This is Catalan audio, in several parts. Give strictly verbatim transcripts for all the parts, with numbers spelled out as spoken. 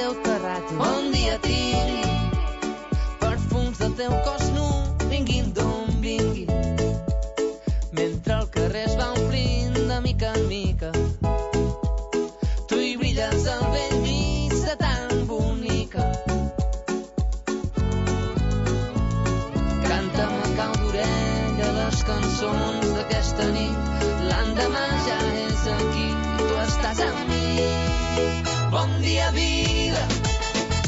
teu terrat. Bon dia tingui, perfums del teu cos nu, vinguin d'on vingui, mentre el carrer es va omplint de mica en mica. Tu hi brilles al vell mig de tan bonica. Canta'm a cau d'orella les cançons d'aquesta nit. L'endemà ja és aquí, tu estàs amb mi. Bon dia, vida,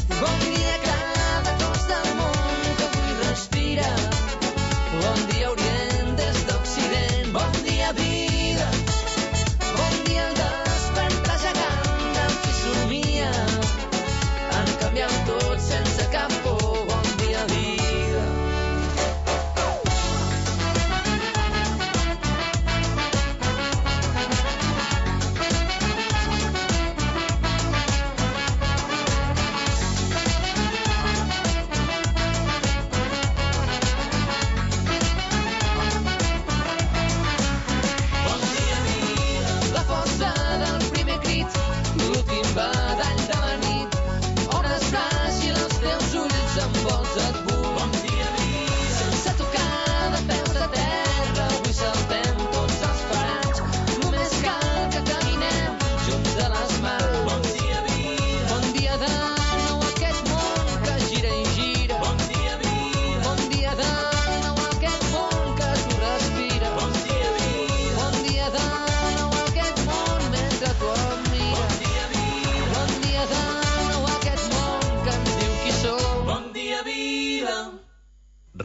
bon dia, cada cos del món que avui respira. Bon dia, Orient des d'Occident. Bon dia, vida, bon dia, el despertar gegant del qui somia en canviar tot sense cap por. Bon dia, vida.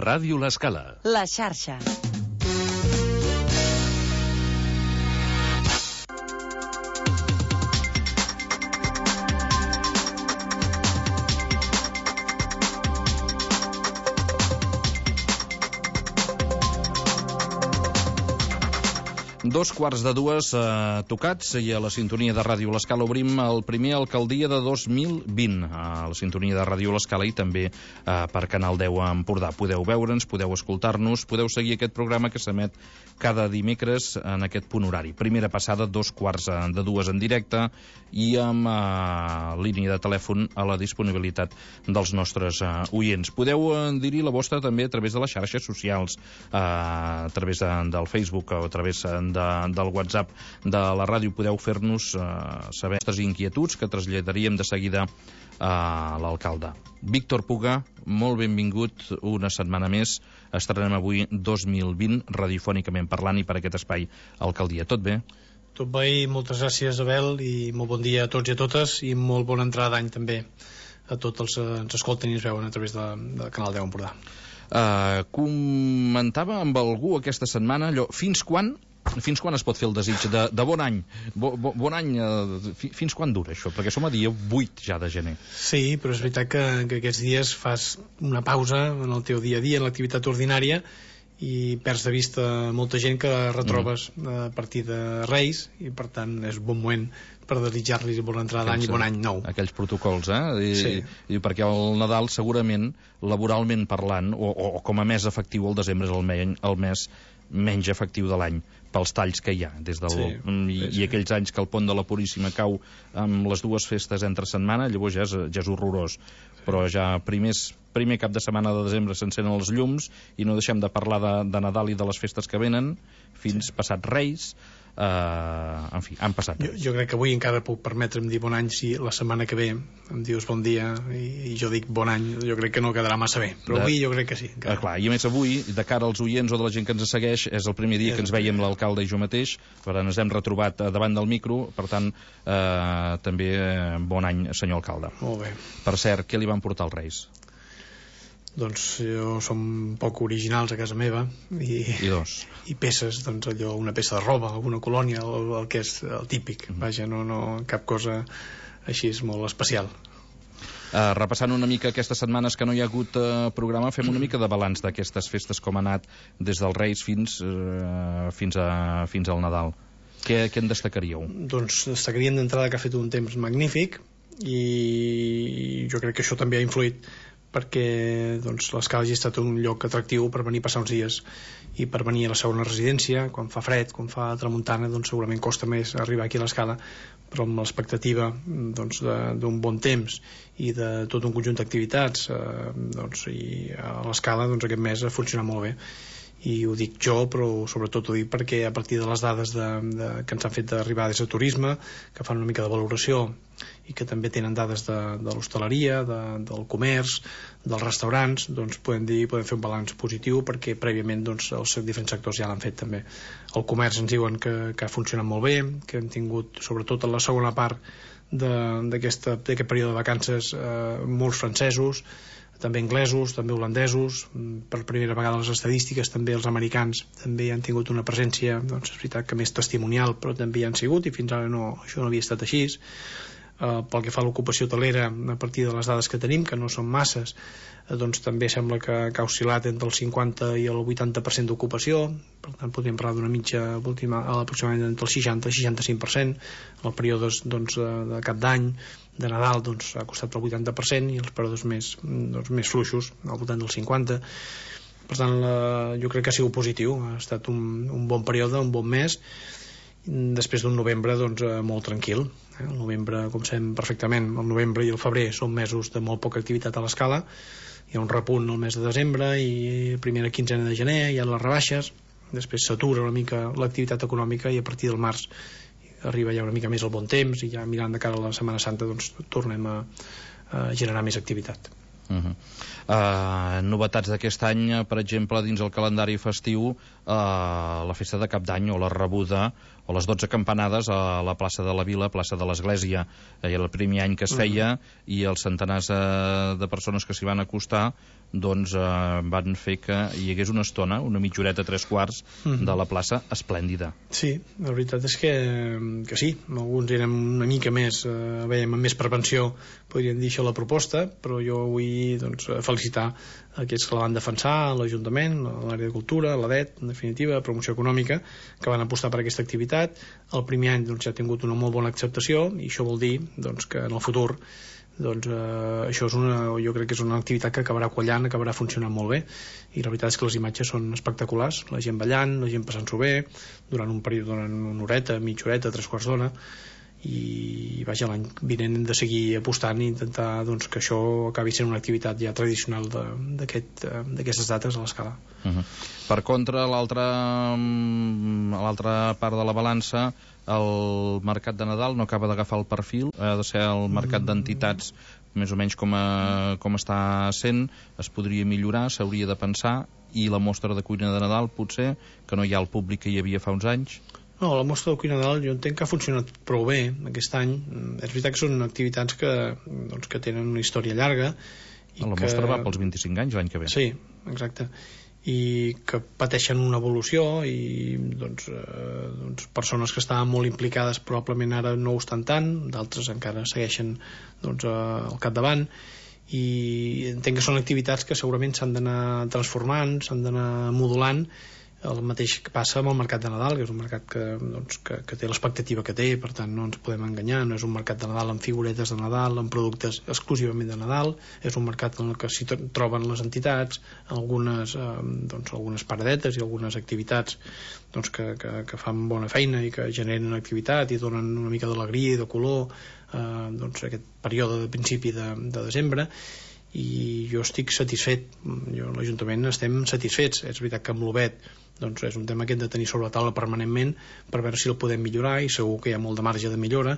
Ràdio L'Escala. La xarxa. Dos quarts de dues eh, tocats i a la sintonia de Ràdio L'Escala obrim el primer Alcaldia de dos mil vint a la sintonia de Ràdio L'Escala i també eh, per Canal deu a Empordà. Podeu veure'ns, podeu escoltar-nos, podeu seguir aquest programa que s'emet cada dimecres en aquest punt horari. Primera passada, dos quarts de dues en directe i amb eh, línia de telèfon a la disponibilitat dels nostres eh, oients. Podeu eh, dir-hi la vostra també a través de les xarxes socials, eh, a través de, del Facebook o a través de De, del WhatsApp de la ràdio. Podeu fer-nos eh, saber les inquietuds que traslladaríem de seguida a l'alcalde. Víctor Puga, molt benvingut una setmana més. Estrenem avui dos mil vint radiofònicament parlant i per aquest espai Alcaldia. Tot bé? Tot bé i moltes gràcies, Abel, i molt bon dia a tots i a totes i molt bona entrada d'any també a tots els que ens escolten i ens veuen a través de, de Canal deu Empordà. Uh, comentava amb algú aquesta setmana allò, fins quan Fins quan es pot fer el desig de, de bon any? Bo, bo, bon any, eh, fins quan dura això? Perquè som a dia vuit ja de gener. Sí, però és veritat que, que aquests dies fas una pausa en el teu dia a dia, en l'activitat ordinària, i perds de vista molta gent que retrobes mm. a partir de Reis, i per tant és un bon moment per desitjar-los bona entrada d'any i bon any nou. Aquells protocols, eh? I, sí. I perquè el Nadal segurament, laboralment parlant, o, o, o com a mes efectiu, el desembre és el, me, el mes menys efectiu de l'any pels talls que hi ha des del, sí, i, sí. i aquells anys que el pont de la Puríssima cau amb les dues festes entre setmana, llavors ja és, ja és horrorós, però ja primers, primer cap de setmana de desembre s'encenen els llums i no deixem de parlar de, de Nadal i de les festes que venen fins passat Reis. Uh, en fi, han passat jo, jo crec que avui encara puc permetre'm dir bon any si la setmana que ve em dius bon dia i, i jo dic bon any, jo crec que no quedarà massa bé, però de... avui jo crec que sí uh, clar, i a més avui, de cara als oients o de la gent que ens segueix, és el primer dia que ens veiem l'alcalde i jo mateix, per tant ens hem retrobat davant del micro, per tant uh, també uh, bon any senyor alcalde. Molt bé. Per cert, què li van portar els Reis? Doncs jo som poc originals a casa meva i, I dos i peces, doncs allò, una peça de roba, alguna colònia, el, el que és el típic, mm. vaja, no, no cap cosa així és molt especial. Uh, repassant una mica aquestes setmanes que no hi ha hagut uh, programa, fem una mica de balanç d'aquestes festes, com ha anat des dels Reis fins, uh, fins, a, fins al Nadal. Què, què en destacaríeu? Doncs destacaríem d'entrada que ha fet un temps magnífic i jo crec que això també ha influït perquè doncs, l'Escala hagi estat un lloc atractiu per venir a passar uns dies i per venir a la segona residència. Quan fa fred, quan fa tramuntana, doncs segurament costa més arribar aquí a l'Escala, però amb l'expectativa doncs, d'un bon temps i de tot un conjunt d'activitats, eh, doncs, i a l'Escala doncs, aquest mes ha funcionat molt bé. I ho dic jo, però sobretot ho dic perquè a partir de les dades de, de, que ens han fet d'arribar des de turisme, que fan una mica de valoració i que també tenen dades de, de l'hostaleria, de, del comerç, dels restaurants, doncs podem dir, podem fer un balanç positiu perquè prèviament doncs, els diferents sectors ja l'han fet també. El comerç ens diuen que, que ha funcionat molt bé, que hem tingut, sobretot en la segona part d'aquest període de vacances, eh, molts francesos, també anglesos, també holandesos. Per primera vegada les estadístiques també els americans també han tingut una presència, doncs és veritat que més testimonial, però també hi han sigut i fins ara no, això no havia estat així. Uh, pel que fa a l'ocupació hotelera, a partir de les dades que tenim, que no són masses, uh, doncs també sembla que, que ha oscil·lat entre el cinquanta i el vuitanta per cent d'ocupació. Per tant podríem parlar d'una mitja última, aproximadament entre el seixanta i seixanta-cinc per cent. Els períodes doncs, de cap d'any, de Nadal, doncs ha costat el vuitanta per cent i els períodes més, doncs, més fluixos al voltant del cinquanta per cent. Per tant, la, jo crec que ha sigut positiu, ha estat un, un bon període, un bon mes, després d'un novembre doncs, molt tranquil. El novembre, com sabem perfectament, el novembre i el febrer són mesos de molt poca activitat a l'Escala. Hi ha un repunt el mes de desembre i primera quinzena de gener hi ha les rebaixes, després s'atura una mica l'activitat econòmica i a partir del març arriba ja una mica més el bon temps i ja mirant de cara a la Setmana Santa doncs tornem a, a generar més activitat. Uh -huh. uh, novetats d'aquest any, per exemple, dins el calendari festiu, uh, la festa de Cap d'Any o la rebuda o les dotze campanades a la plaça de la Vila, plaça de l'Església. Era el primer any que es feia uh -huh. i els centenars uh, de persones que s'hi van acostar doncs uh, van fer que hi hagués una estona, una mitja horeta, tres quarts uh -huh. de la plaça esplèndida. Sí, la veritat és que, que sí, alguns érem una mica més, eh, veiem amb més prevenció, podríem dir això la proposta, però jo vull doncs, felicitar aquests que la van defensar, l'Ajuntament, l'àrea de Cultura, l'A D E T, en definitiva, Promoció Econòmica, que van apostar per aquesta activitat. El primer any doncs, ja ha tingut una molt bona acceptació i això vol dir doncs, que en el futur doncs eh, això és una, jo crec que és una activitat que acabarà quallant, acabarà funcionant molt bé i la veritat és que les imatges són espectaculars, la gent ballant, la gent passant-s'ho bé durant un període, durant una horeta, mitja horeta, tres quarts d'hora i vaja, l'any vinent hem de seguir apostant i intentar doncs, que això acabi sent una activitat ja tradicional d'aquestes aquest, dates a l'Escala. Uh -huh. Per contra, l'altra l'altra part de la balança, el mercat de Nadal no acaba d'agafar el perfil, ha de ser el mercat d'entitats més o menys com, a, com està sent, es podria millorar, s'hauria de pensar, i la mostra de cuina de Nadal potser, que no hi ha el públic que hi havia fa uns anys. No, la mostra de cuina de Nadal jo entenc que ha funcionat prou bé aquest any. És veritat que són activitats que, doncs, que tenen una història llarga. I la que... mostra va pels vint-i-cinc anys l'any que ve. Sí, exacte. I que pateixen una evolució i doncs, eh, doncs persones que estaven molt implicades probablement ara no ho estan tant, d'altres encara segueixen doncs, eh, al capdavant i entenc que són activitats que segurament s'han d'anar transformant, s'han d'anar modulant. El mateix que passa amb el mercat de Nadal, que és un mercat que, doncs, que, que té l'expectativa que té, per tant no ens podem enganyar, no és un mercat de Nadal amb figuretes de Nadal, amb productes exclusivament de Nadal, és un mercat en el que s'hi troben les entitats, algunes, eh, doncs, algunes paradetes i algunes activitats doncs, que, que, que fan bona feina i que generen activitat i donen una mica d'alegria i de color eh, doncs, aquest període de principi de, de desembre. I jo estic satisfet, jo l'Ajuntament estem satisfets. És veritat que amb l'O B E T doncs és un tema que hem de tenir sobre la taula permanentment per veure si el podem millorar i segur que hi ha molt de marge de millora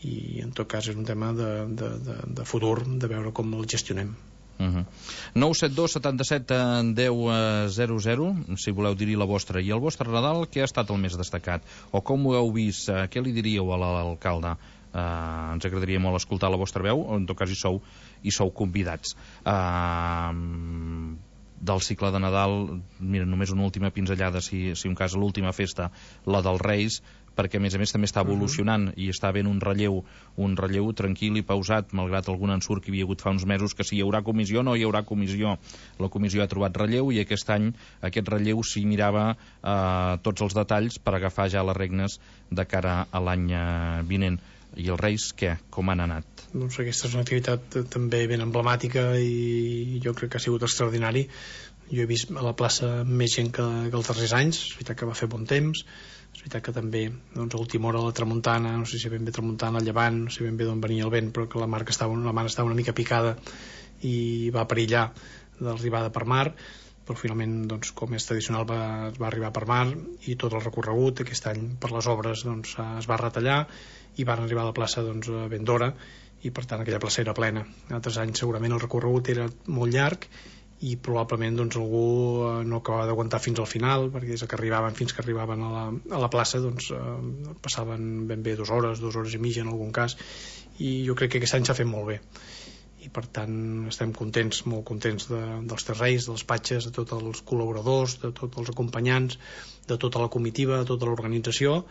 i en tot cas és un tema de, de, de, de futur, de veure com el gestionem. Uh -huh. nou set dos setanta-set deu zero zero si voleu dir-hi la vostra. I el vostre Nadal, què ha estat el més destacat? O com ho heu vist? Què li diríeu a l'alcalde? Uh, ens agradaria molt escoltar la vostra veu, en tot cas hi sou, hi sou convidats. Uh, del cicle de Nadal, mira, només una última pinzellada, si, si un cas l'última festa, la dels Reis, perquè a més a més també està evolucionant uh -huh. i està havent un relleu, un relleu tranquil i pausat, malgrat algun ensurt que hi havia hagut fa uns mesos, que si hi haurà comissió no hi haurà comissió. La comissió ha trobat relleu i aquest any aquest relleu s'hi mirava eh, tots els detalls per agafar ja les regnes de cara a l'any vinent. I els Reis, què? Com han anat? Doncs aquesta és una activitat també ben emblemàtica i jo crec que ha sigut extraordinari. Jo he vist a la plaça més gent que, que els darrers anys. És veritat que va fer bon temps, és veritat que també doncs, a última hora la tramuntana, no sé si ben bé tramuntana, el llevant, no sé ben bé d'on venia el vent, però que la mar, que estava, la mar estava una mica picada i va perillar de l'arribada per mar, però finalment, doncs, com és tradicional, va, va arribar per mar i tot el recorregut aquest any per les obres doncs, es va retallar i van arribar a la plaça doncs, ben d'hora i per tant aquella plaça era plena. En altres anys segurament el recorregut era molt llarg i probablement doncs, algú no acabava d'aguantar fins al final, perquè des que arribaven fins que arribaven a la, a la plaça doncs, eh, passaven ben bé dues hores, dues hores i mitja en algun cas, i jo crec que aquest any s'ha fet molt bé i per tant estem contents, molt contents de, dels terreis, dels patges, de tots els col·laboradors, de tots els acompanyants, de tota la comitiva, de tota l'organització,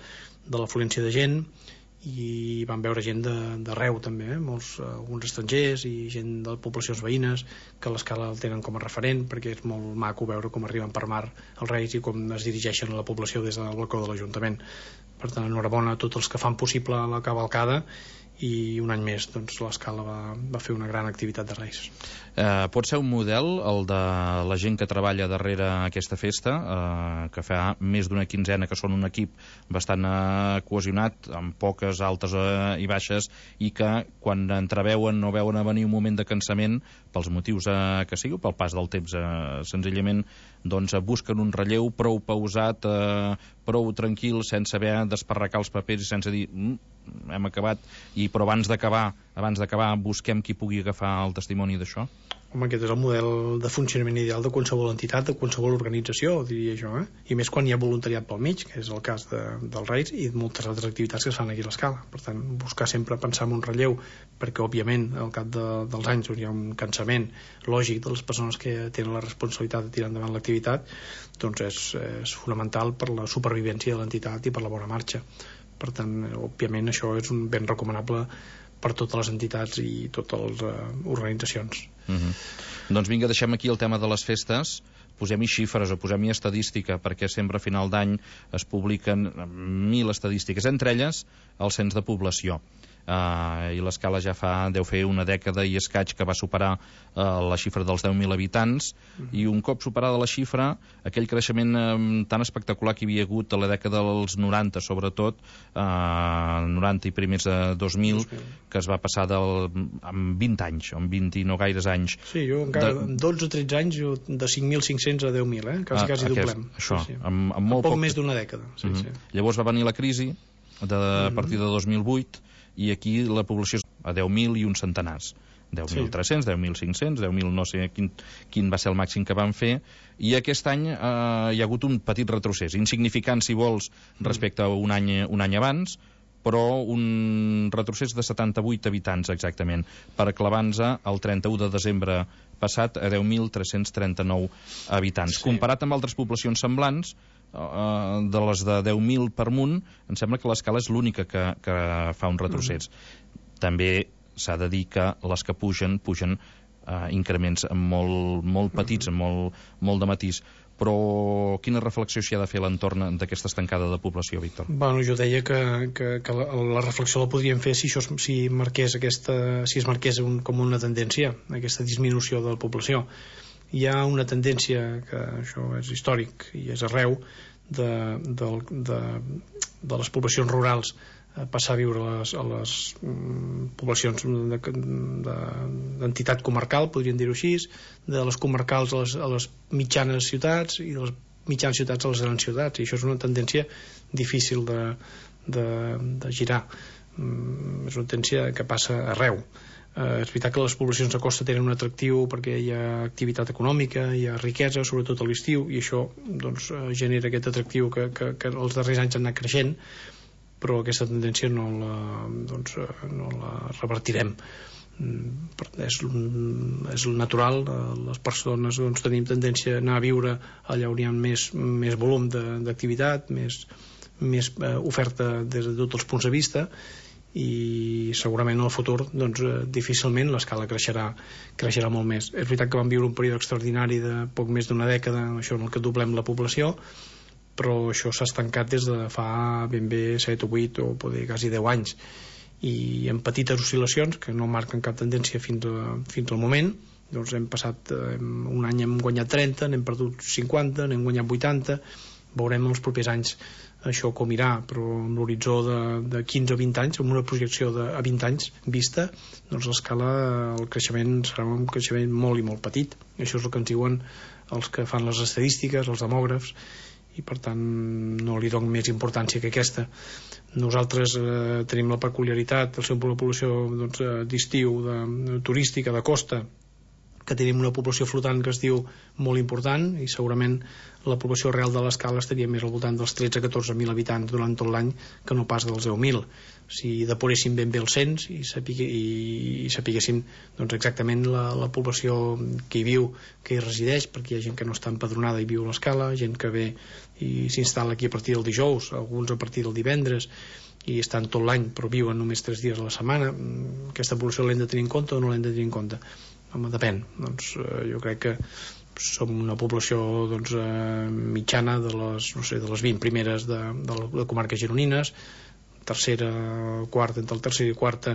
de l'afluència de gent, i vam veure gent d'arreu també, eh? Molts, alguns estrangers i gent de poblacions veïnes que l'escala el tenen com a referent, perquè és molt maco veure com arriben per mar els Reis i com es dirigeixen a la població des del balcó de l'Ajuntament. Per tant, enhorabona a tots els que fan possible la cavalcada, i un any més doncs, l'escala va, va fer una gran activitat de Reis. Eh, pot ser un model el de la gent que treballa darrere aquesta festa, eh, que fa més d'una quinzena, que són un equip bastant eh, cohesionat, amb poques altes eh, i baixes, i que quan entreveuen no veuen a venir un moment de cansament pels motius eh, que sigui, pel pas del temps, eh, senzillament doncs, busquen un relleu prou pausat, eh, prou tranquil, sense haver d'esparracar els papers i sense dir mm, hem acabat, i però abans d'acabar abans d'acabar busquem qui pugui agafar el testimoni d'això. Home, aquest és el model de funcionament ideal de qualsevol entitat, de qualsevol organització, diria jo, eh? I més quan hi ha voluntariat pel mig, que és el cas de, dels Reis i de moltes altres activitats que es fan aquí a l'escala. Per tant, buscar sempre pensar en un relleu, perquè òbviament al cap de, dels anys on hi ha un cansament lògic de les persones que tenen la responsabilitat de tirar endavant l'activitat, doncs és, és fonamental per la supervivència de l'entitat i per la bona marxa. Per tant, òbviament això és un ben recomanable per totes les entitats i totes les uh, organitzacions. Uh-huh. Doncs vinga, deixem aquí el tema de les festes, posem-hi xifres o posem-hi estadística, perquè sempre a final d'any es publiquen mil estadístiques, entre elles el cens de població. Uh, i l'escala ja fa, deu fer una dècada i escaig que va superar uh, la xifra dels deu mil habitants, uh-huh. I un cop superada la xifra, aquell creixement um, tan espectacular que hi havia hagut a la dècada dels noranta, sobretot uh, noranta i primers de dos mil, dos mil, que es va passar del, amb vint anys, amb vint i no gaires anys. Sí, jo encara de... amb dotze o tretze anys, jo de cinc mil cinc-cents a deu mil, eh? quasi, ah, quasi aquest, doblem. Això, sí, sí. Amb, amb molt poc, poc més d'una dècada. Sí, uh-huh. sí. Llavors va venir la crisi de, a partir de dos mil vuit, i aquí la població és a deu mil i uns centenars, deu mil tres-cents, deu mil cinc-cents, deu mil no sé quin, quin va ser el màxim que van fer, i aquest any eh, hi ha hagut un petit retrocés, insignificant si vols respecte a un any, un any abans, però un retrocés de setanta-vuit habitants exactament, per clavar-nos el trenta-u de desembre passat a deu mil tres-cents trenta-nou habitants. Sí. Comparat amb altres poblacions semblants, de les de deu mil per munt, em sembla que l'escala és l'única que, que fa un retrocés. Uh-huh. També s'ha de dir que les que pugen, pugen eh, increments molt, molt petits, uh-huh. molt, molt de matís. Però quina reflexió s'hi ha de fer a l'entorn d'aquesta estancada de població, Víctor? Bueno, jo deia que, que, que la, la reflexió la podríem fer si, això, si, marqués aquesta, si es marqués un, com una tendència, aquesta disminució de la població. Hi ha una tendència, que això és històric i és arreu, de, de, de, de les poblacions rurals a passar a viure a les, a les mm, poblacions d'entitat de, de, comarcal, podríem dir-ho així, de les comarcals a les, a les mitjanes ciutats i de les mitjanes ciutats a les grans ciutats, i això és una tendència difícil de, de, de girar. Mm, és una tendència que passa arreu. Eh, és veritat que les poblacions de costa tenen un atractiu perquè hi ha activitat econòmica, hi ha riquesa, sobretot a l'estiu, i això doncs, genera aquest atractiu que, que, que els darrers anys han anat creixent, però aquesta tendència no la, doncs, no la revertirem. És, és natural, les persones doncs, tenim tendència a anar a viure allà on hi ha més, més volum d'activitat, més, més oferta des de tots els punts de vista, i segurament en el futur doncs, difícilment l'escala creixerà, creixerà molt més. És veritat que vam viure un període extraordinari de poc més d'una dècada, això en el que doblem la població, però això s'ha estancat des de fa ben bé set o vuit o poder quasi deu anys, i amb petites oscil·lacions que no marquen cap tendència fins, a, fins al moment. Doncs hem passat eh, un any hem guanyat trenta, n'hem perdut cinquanta, n'hem guanyat vuitanta. Veurem els propers anys això com irà, però amb l'horitzó de, de quinze o vint anys, amb una projecció de, a vint anys vista, doncs l'escala, el creixement serà un creixement molt i molt petit. Això és el que ens diuen els que fan les estadístiques, els demògrafs, i per tant no li dono més importància que aquesta. Nosaltres eh, tenim la peculiaritat, el seu població doncs, d'estiu, de, turística, de costa, que tenim una població flotant que es diu molt important, i segurament la població real de l'escala estaria més al voltant dels tretze a catorze mil habitants durant tot l'any que no pas dels deu mil. Si depuréssim ben bé el cens i, sapigue, i, i sapiguéssim doncs, exactament la, la població que hi viu, que hi resideix, perquè hi ha gent que no està empadronada i viu a l'escala, gent que ve i s'instal·la aquí a partir del dijous, alguns a partir del divendres, i estan tot l'any però viuen només tres dies a la setmana. Aquesta població l'hem de tenir en compte o no l'hem de tenir en compte? Home, depèn. Doncs, eh, jo crec que som una població doncs, eh, mitjana de les, no sé, de les vint primeres de, de, de comarques gironines, tercera, quarta, entre el tercer i quarta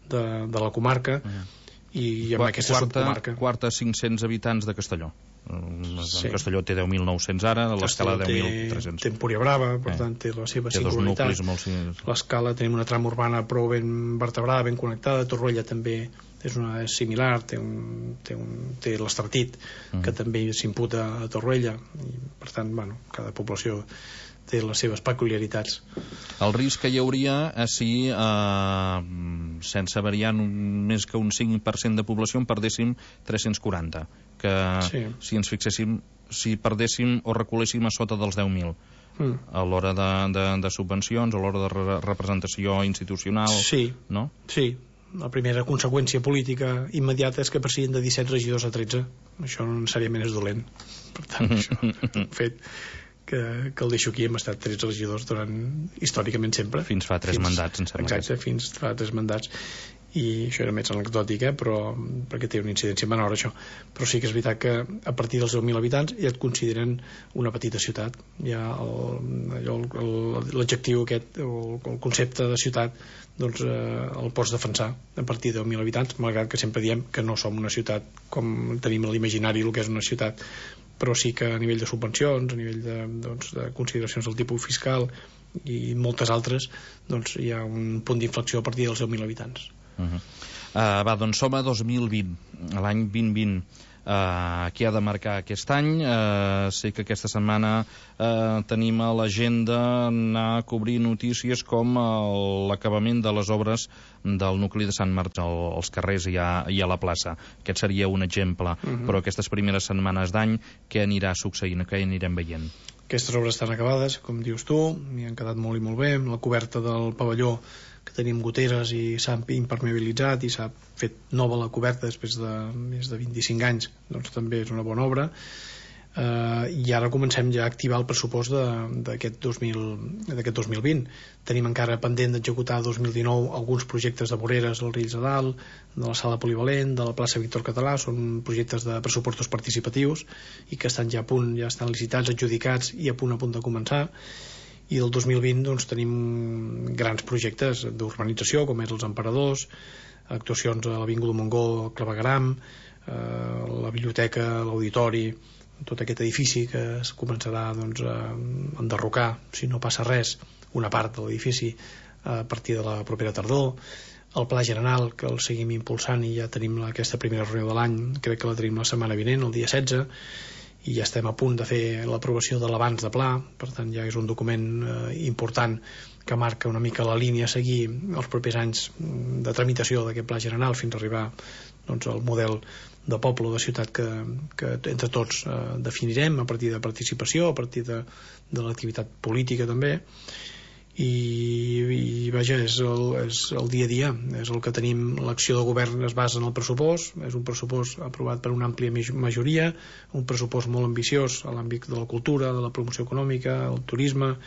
de, de la comarca, uh-huh. i amb Qu aquesta quarta, subcomarca. Quarta, cinc-cents habitants de Castelló. Sí. Castelló té deu mil nou-cents ara, l'escala deu mil tres-cents. Té Empúria Brava, per eh. tant té la seva té singularitat. Molt... L'escala tenim una trama urbana prou ben vertebrada, ben connectada. Torroella també és, una, és similar, té, un, té, un, té l'Estartit, mm. que també s'imputa a Torroella, i per tant, bueno, cada població té les seves peculiaritats. El risc que hi hauria és si eh, sense variant un, més que un cinc per cent de població en perdéssim tres-cents quaranta, que sí. si ens fixéssim, si perdéssim o reculéssim a sota dels deu mil mm. a l'hora de, de, de subvencions, a l'hora de re representació institucional, sí. no? Sí. La primera conseqüència política immediata és que passin de disset regidors a tretze. Això no necessàriament és dolent. Per tant, això és un fet que, que el deixo aquí. Hem estat tretze regidors durant, històricament sempre. Fins fa tres fins, mandats, em sembla. Exacte, fins fa tres mandats. I això era més anecdòtic, eh? Però, perquè té una incidència menor, això. Però sí que és veritat que a partir dels deu mil habitants ja et consideren una petita ciutat. Ja l'adjectiu aquest, o el concepte de ciutat, doncs eh, el pots defensar a partir de deu mil habitants, malgrat que sempre diem que no som una ciutat com tenim a l'imaginari el que és una ciutat, però sí que a nivell de subvencions, a nivell de, doncs, de consideracions del tipus fiscal i moltes altres, doncs hi ha un punt d'inflexió a partir dels deu mil habitants. Uh-huh. uh, va, doncs som a dos mil vint, l'any vint vint. Uh, què ha de marcar aquest any? Uh, sé que aquesta setmana uh, tenim a l'agenda anar a cobrir notícies com l'acabament de les obres del nucli de Sant Martí als carrers i a, i a la plaça. Aquest seria un exemple. Uh-huh. Però aquestes primeres setmanes d'any, què anirà succeint? Què anirem veient? Aquestes obres estan acabades, com dius tu, i han quedat molt i molt bé. La coberta del pavelló, que tenim goteres i s'ha impermeabilitzat i s'ha fet nova la coberta després de més de vint-i-cinc anys, doncs també és una bona obra. Eh, i ara comencem ja a activar el pressupost d'aquest dos mil vint. Tenim encara pendent d'executar dos mil dinou alguns projectes de voreres al Riells de Dalt, de la sala polivalent, de la plaça Víctor Català. Són projectes de pressupostos participatius i que estan ja a punt, ja estan licitats, adjudicats i a punt a punt de començar. I del dos mil vint doncs, tenim grans projectes d'urbanització com és els Emperadors, actuacions a l'Avinguda Montgó, al Clavegueram, eh, la biblioteca, l'auditori, tot aquest edifici que es començarà doncs, a enderrocar, si no passa res, una part de l'edifici a partir de la propera tardor. El Pla General, que el seguim impulsant i ja tenim aquesta primera reunió de l'any, crec que la tenim la setmana vinent, el dia setze, i ja estem a punt de fer l'aprovació de l'abans de pla, per tant ja és un document eh, important que marca una mica la línia a seguir els propers anys de tramitació d'aquest pla general fins a arribar doncs, al model de poble o de ciutat que, que entre tots eh, definirem a partir de participació, a partir de, de l'activitat política també. I, i vaja, és el, és el dia a dia, és el que tenim. L'acció de govern es basa en el pressupost, és un pressupost aprovat per una àmplia majoria, un pressupost molt ambiciós a l'àmbit de la cultura, de la promoció econòmica, el turisme,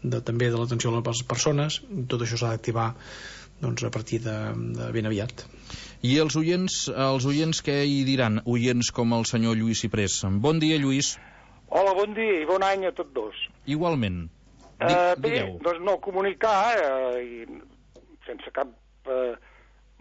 de, també de l'atenció a les persones. Tot això s'ha d'activar doncs, a partir de, de ben aviat. I els oients, els oients què hi diran? Oients com el senyor Lluís Ciprés. Bon dia, Lluís. Hola, bon dia i bon any a tots dos. Igualment. Uh, bé, doncs no, comunicar, eh, i sense cap eh,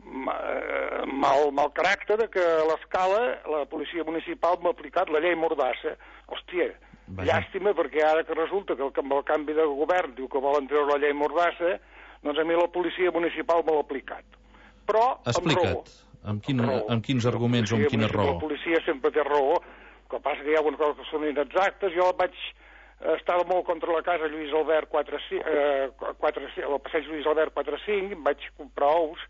mal, mal caràcter de que a l'Escala la policia municipal m'ha aplicat la llei Mordassa. Hòstia, Vaja. llàstima, perquè ara que resulta que amb el canvi de govern diu que volen treure la llei Mordassa, doncs a mi la policia municipal me l'ha aplicat. Però Explica't, amb, quin, amb quins arguments o amb quina raó? La policia sempre té raó, el que passa que hi ha algunes coses que són inexactes. Jo vaig estar molt contra la casa Lluís Albert quatre, eh, quatre, al passeig Lluís Albert quatre cinc, em vaig comprar ous,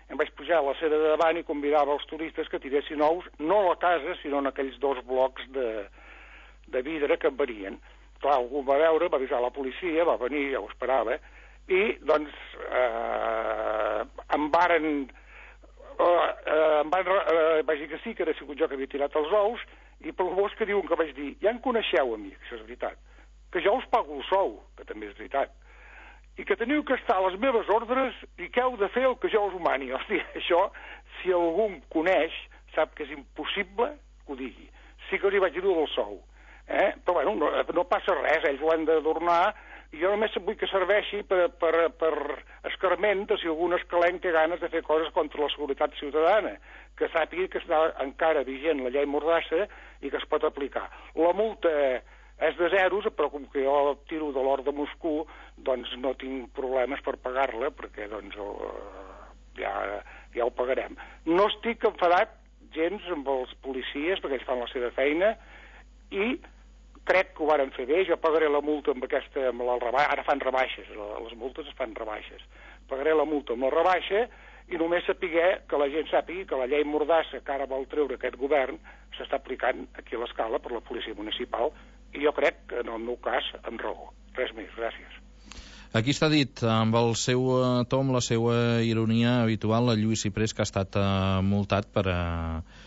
em vaig pujar a la cera de davant i convidava els turistes que tiressin ous, no a la casa, sinó en aquells dos blocs de, de vidre que em venien. Clar, algú va veure, va avisar la policia, va venir, ja ho esperava, i doncs eh, em varen... Eh, eh, em van eh, vaig dir que sí, que era sigut jo que havia tirat els ous, i pel bosc que diuen que vaig dir, ja em coneixeu a mi, que això és veritat, que jo us pago el sou, que també és veritat, i que teniu que estar a les meves ordres i que heu de fer el que jo us humani. Hosti, això, si algú em coneix, sap que és impossible que ho digui. Sí que li vaig dir del sou, eh? Però bueno, no, no passa res, ells ho han d'adornar, i jo només vull que serveixi per, per, per escarment de si algun escalenc té ganes de fer coses contra la seguretat ciutadana, que sàpiga que està encara vigent la llei Mordassa i que es pot aplicar. La multa és de zeros, però com que jo tiro de l'or de Moscou, doncs no tinc problemes per pagar-la, perquè doncs ja, ja ho pagarem. No estic enfadat gens amb els policies, perquè ells fan la seva feina, i crec que ho varen fer bé. Jo pagaré la multa amb aquesta, amb la rebaixa, ara fan rebaixes, les multes es fan rebaixes. Pagaré la multa amb la rebaixa i només sapiguer que la gent sàpigui que la llei Mordassa que ara vol treure aquest govern s'està aplicant aquí a l'Escala per la policia municipal, i jo crec que en el meu cas amb raó. Res més, gràcies. Aquí està dit, amb el seu to, amb la seva ironia habitual, el Lluís Ciprés, que ha estat uh, multat per... Uh...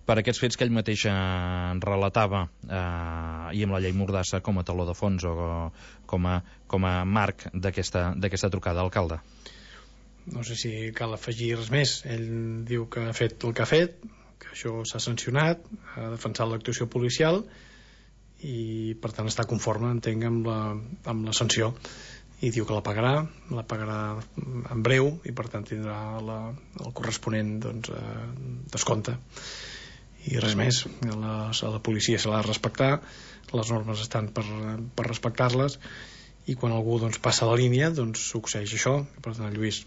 per aquests fets que ell mateix eh, relatava, eh, i amb la llei Mordassa com a taló de fons o com a, com a marc d'aquesta trucada, alcalde. No sé si cal afegir res més. Ell diu que ha fet el que ha fet, que això s'ha sancionat, ha defensat l'actuació policial i per tant està conforme, entenc, amb la, amb la sanció, i diu que la pagarà, la pagarà en breu i per tant tindrà la, el corresponent doncs, eh, descompte. I res més, a, les, a la policia se l'ha de respectar, les normes estan per, per respectar-les, i quan algú doncs, passa la línia doncs succeeix això, per tant el Lluís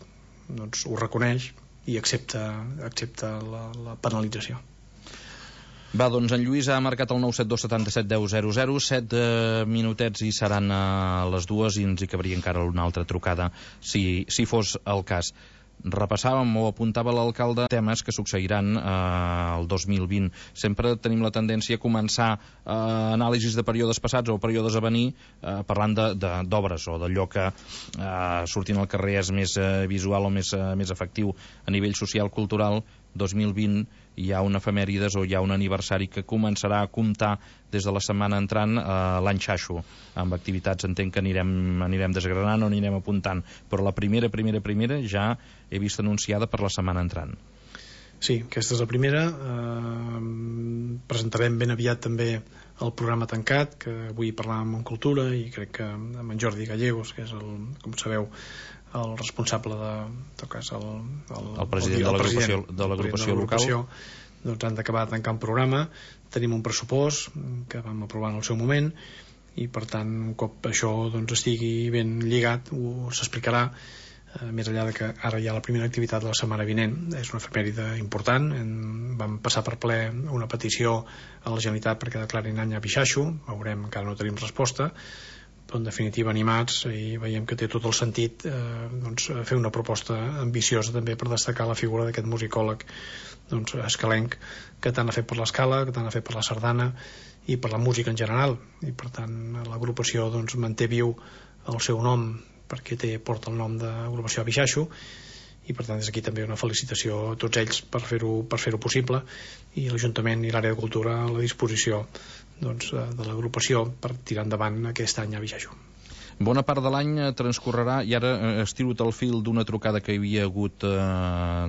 doncs, ho reconeix i accepta, accepta la, la penalització. Va, doncs en Lluís ha marcat el nou set dos set set deu zero zero, set eh, minutets i seran a les dues, i ens hi cabria encara una altra trucada si, si fos el cas. Repassàvem o apuntava l'alcalde temes que succeiran eh, el dos mil vint. Sempre tenim la tendència a començar eh, anàlisis de períodes passats o períodes a venir eh, parlant d'obres o d'allò que eh, sortint al carrer és més eh, visual o més, eh, més efectiu a nivell social, cultural. Dos mil vint hi ha un efemèrides o hi ha un aniversari que començarà a comptar des de la setmana entrant eh, l'any Xaixo, amb activitats entenc que anirem, anirem desgranant o anirem apuntant, però la primera, primera, primera ja he vist anunciada per la setmana entrant. Sí, aquesta és la primera. Eh, presentarem ben aviat també el programa tancat, que avui parlàvem en Cultura, i crec que amb en Jordi Gallegos, que és el, com sabeu, el responsable de, en tot cas, el, el, el president el, el de l'agrupació local, doncs han d'acabar de tancar un programa. Tenim un pressupost que vam aprovar en el seu moment, i per tant un cop això doncs, estigui ben lligat s'explicarà, eh, més enllà de que ara hi ha la primera activitat de la setmana vinent. És una efemèride important. En, vam passar per ple una petició a la Generalitat perquè declarin any a Bixaixo. Veurem, encara no tenim resposta, però en definitiva animats, i veiem que té tot el sentit eh, doncs, fer una proposta ambiciosa també per destacar la figura d'aquest musicòleg doncs, escalenc, que tant ha fet per l'Escala, que tant ha fet per la sardana i per la música en general, i per tant l'agrupació doncs, manté viu el seu nom perquè té, porta el nom d'agrupació Bixaixo, i per tant des d'aquí també una felicitació a tots ells per fer-ho per fer-ho possible, i l'Ajuntament i l'àrea de Cultura a la disposició doncs, de l'agrupació per tirar endavant aquest any a Bixaixo. Bona part de l'any transcorrerà, i ara estirut el fil d'una trucada que hi havia hagut eh,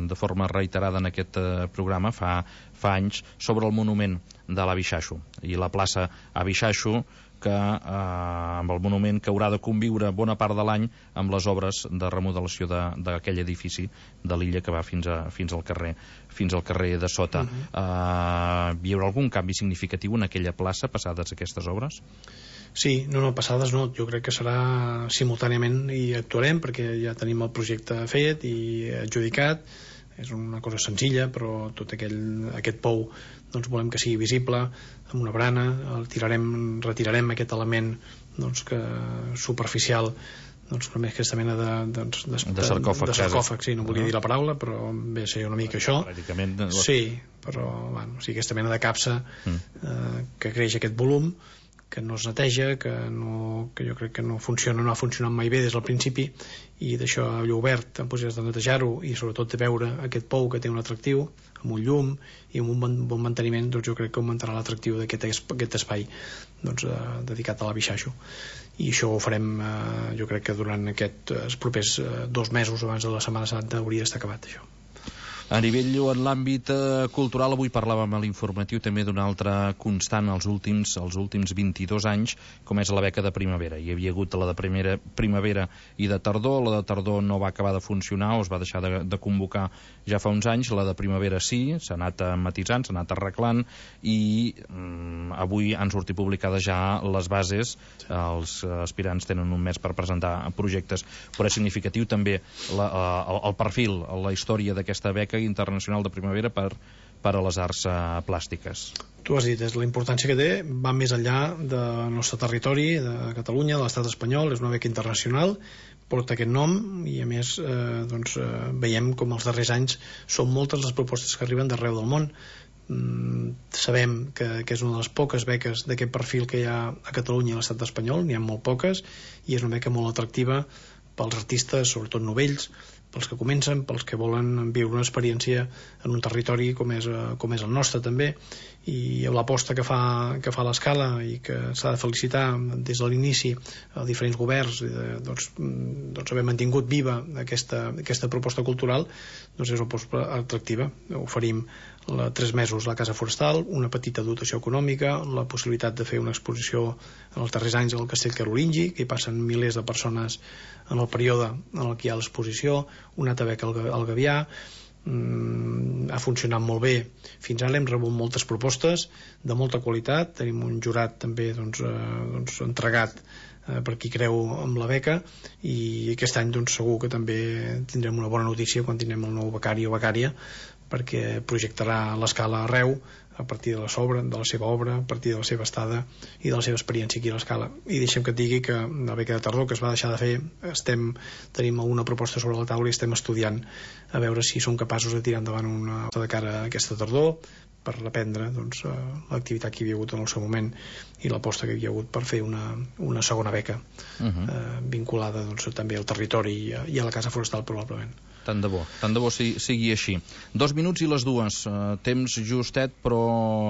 de forma reiterada en aquest eh, programa fa, fa anys sobre el monument de l'Abixaixo i la plaça Abixaixo, que eh, amb el monument que haurà de conviure bona part de l'any amb les obres de remodelació d'aquell edifici de l'illa que va fins, a, fins al carrer fins al carrer de sota. Uh-huh. eh, hi haurà algun canvi significatiu en aquella plaça passades aquestes obres? Sí, no, no, passades no, jo crec que serà simultàniament i actuarem perquè ja tenim el projecte fet i adjudicat. És una cosa senzilla, però tot aquell, aquest pou doncs volem que sigui visible amb una brana, el tirarem, retirarem aquest element doncs, que, superficial, doncs, com és aquesta mena de, doncs, de, de sarcòfag, de sarcòfag sí, no volia no. dir la paraula, però ve a ser una mica això. Pràcticament... Sí, però bueno, o sigui, aquesta mena de capsa mm. eh, que creix aquest volum, que no es neteja, que, no, que jo crec que no funciona, no ha funcionat mai bé des del principi, i d'això a allò obert en possibilitats de netejar-ho i sobretot de veure aquest pou que té un atractiu amb un llum i amb un bon, bon manteniment, doncs jo crec que augmentarà l'atractiu d'aquest aquest espai doncs, eh, dedicat a la Bixaixo, i això ho farem eh, jo crec que durant aquests eh, propers eh, dos mesos abans de la Setmana Santa hauria d'estar acabat això. A nivell en l'àmbit eh, cultural, avui parlàvem a l'informatiu també d'una altra constant els últims, els últims vint-i-dos anys, com és la beca de primavera. Hi havia hagut la de primera, primavera i de tardor, la de tardor no va acabar de funcionar o es va deixar de, de convocar ja fa uns anys, la de primavera sí, s'ha anat matisant, s'ha anat arreglant i mm, avui han sortit publicades ja les bases, els aspirants tenen un mes per presentar projectes, però és significatiu també la, el, el perfil, la història d'aquesta beca internacional de primavera per, per a les arts uh, plàstiques. Tu has dit, és la importància que té, va més enllà del nostre territori, de Catalunya, de l'estat espanyol, és una beca internacional, porta aquest nom i a més eh, doncs, eh, veiem com els darrers anys són moltes les propostes que arriben d'arreu del món. Mm, sabem que, que és una de les poques beques d'aquest perfil que hi ha a Catalunya i a l'estat espanyol, n'hi ha molt poques, i és una beca molt atractiva pels artistes, sobretot novells, pels que comencen, pels que volen viure una experiència en un territori com és, com és el nostre també, i l'aposta que fa, que fa l'Escala i que s'ha de felicitar des de l'inici a diferents governs de, doncs, doncs haver mantingut viva aquesta, aquesta proposta cultural, doncs és una proposta atractiva. Oferim la, tres mesos a la Casa Forestal, una petita dotació econòmica, la possibilitat de fer una exposició en els darrers anys al Castell Carolingi, que hi passen milers de persones en el període en el que hi ha l'exposició, una altra beca al Gavià. Mm, ha funcionat molt bé fins ara, hem rebut moltes propostes de molta qualitat, tenim un jurat també doncs, eh, doncs entregat eh, per qui creu amb la beca, i aquest any doncs, segur que també tindrem una bona notícia quan tindrem el nou becari o becària, perquè projectarà l'Escala arreu a partir de la, sobra, de la seva obra, a partir de la seva estada i de la seva experiència aquí a l'Escala. I deixem que et digui que la beca de tardor que es va deixar de fer, estem, tenim alguna proposta sobre la taula i estem estudiant a veure si som capaços de tirar endavant una de cara a aquesta tardor per reprendre doncs, l'activitat que hi havia hagut en el seu moment i l'aposta que hi havia hagut per fer una, una segona beca uh-huh. eh, vinculada doncs, també al territori i a, i a la Casa Forestal probablement. Tant de bo, tant de bo sigui, sigui així. Dos minuts i les dues, uh, temps justet, però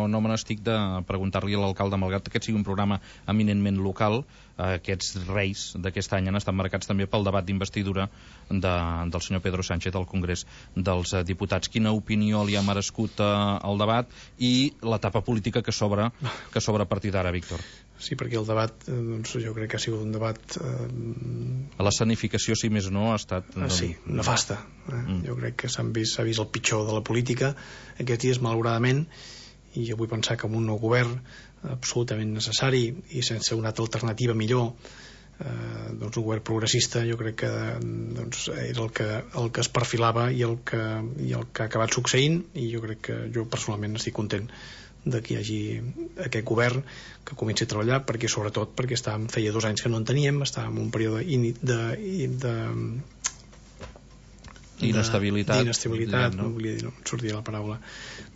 no me n'estic de preguntar-li a l'alcalde, malgrat que aquest sigui un programa eminentment local, uh, aquests reis d'aquest any han estat marcats també pel debat d'investidura de, del senyor Pedro Sánchez al Congrés dels uh, Diputats. Quina opinió li ha merescut uh, el debat i l'etapa política que s'obre que s'obre a partir d'ara, Víctor? Sí, perquè el debat, doncs, jo crec que ha sigut un debat... Eh... L'escenificació, si més no, ha estat... Ah, sí, nefasta. Eh? Mm. Jo crec que s'ha vist, vist el pitjor de la política aquests dies, malauradament, i jo vull pensar que amb un nou govern absolutament necessari i sense una altra alternativa millor, eh, doncs un govern progressista, jo crec que doncs, era el que, el que es perfilava i el que, i el que ha acabat succeint, i jo crec que jo personalment estic content de que hi hagi aquest govern que comenci a treballar, perquè sobretot perquè estàvem, feia dos anys que no en teníem, estàvem en un període de, de, de d'inestabilitat, d'inestabilitat, no? no volia dir, no sortia la paraula,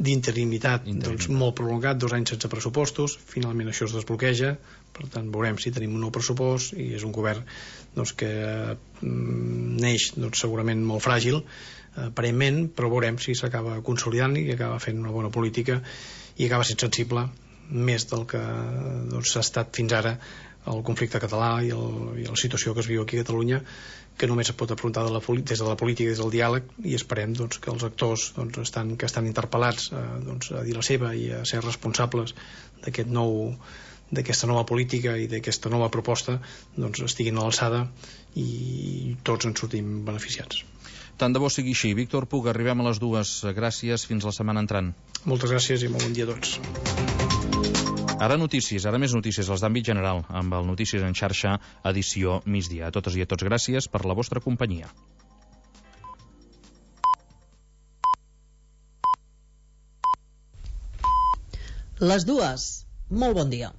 d'interinitat, doncs molt prolongat, dos anys sense pressupostos, finalment això es desbloqueja, per tant veurem si tenim un nou pressupost, i és un govern doncs, que mm, neix doncs, segurament molt fràgil, aparentment, però veurem si s'acaba consolidant i acaba fent una bona política i acaba sent sensible més del que doncs, ha estat fins ara el conflicte català i, el, i la situació que es viu aquí a Catalunya, que només es pot afrontar de la, des de la política, des del diàleg, i esperem doncs, que els actors doncs, estan, que estan interpel·lats a, doncs, a dir la seva i a ser responsables d'aquest nou d'aquesta nova política i d'aquesta nova proposta doncs estiguin a l'alçada i tots en sortim beneficiats. Tant de bo sigui així. Víctor Puig, arribem a les dues. Gràcies, fins la setmana entrant. Moltes gràcies i molt bon dia a tots. Ara notícies, ara més notícies, les d'àmbit general, amb el Notícies en xarxa, edició migdia. A totes i a tots, gràcies per la vostra companyia. Les dues. Molt bon dia.